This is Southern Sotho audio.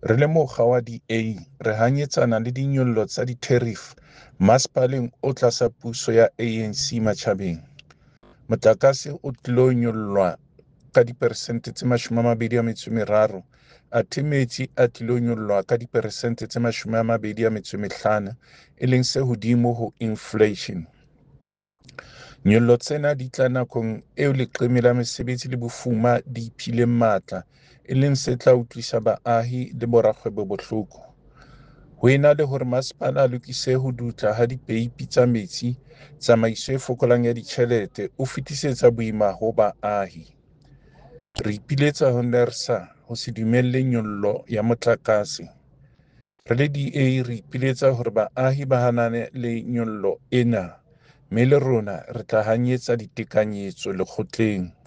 Re le mokga wa DA re hanyetsana le dinyollo tsa ditherifi masepaleng o tlasa puso ya ANC matjhabeng. Motlakase o tlilo nyollwa ka diperesente tse 23 athe metsi a tlilo nyollwa ka diperesente tse 25 e leng se hodimo ho infleishene. Nyollo tsena di tla nakong eo leqeme la mesebetsi le bofuma di iphileng matla e leng se tla utlwisa baahi le borakgwebo bohloko. Ho ena le hore masepala a lokise ho dutla ha dipeipi tsa metsi, tsamaiso e fokolang ya ditjhelete, o fetisetsa boima ho baahi. Re ipiletsa ho NERSA ho se dumelle nyollo ya motlakase. Re le DA re ipiletsa hore baahi ba hanane le nyollo ena mme le rona re tla hanyetsa ditekanyetso lekgotleng.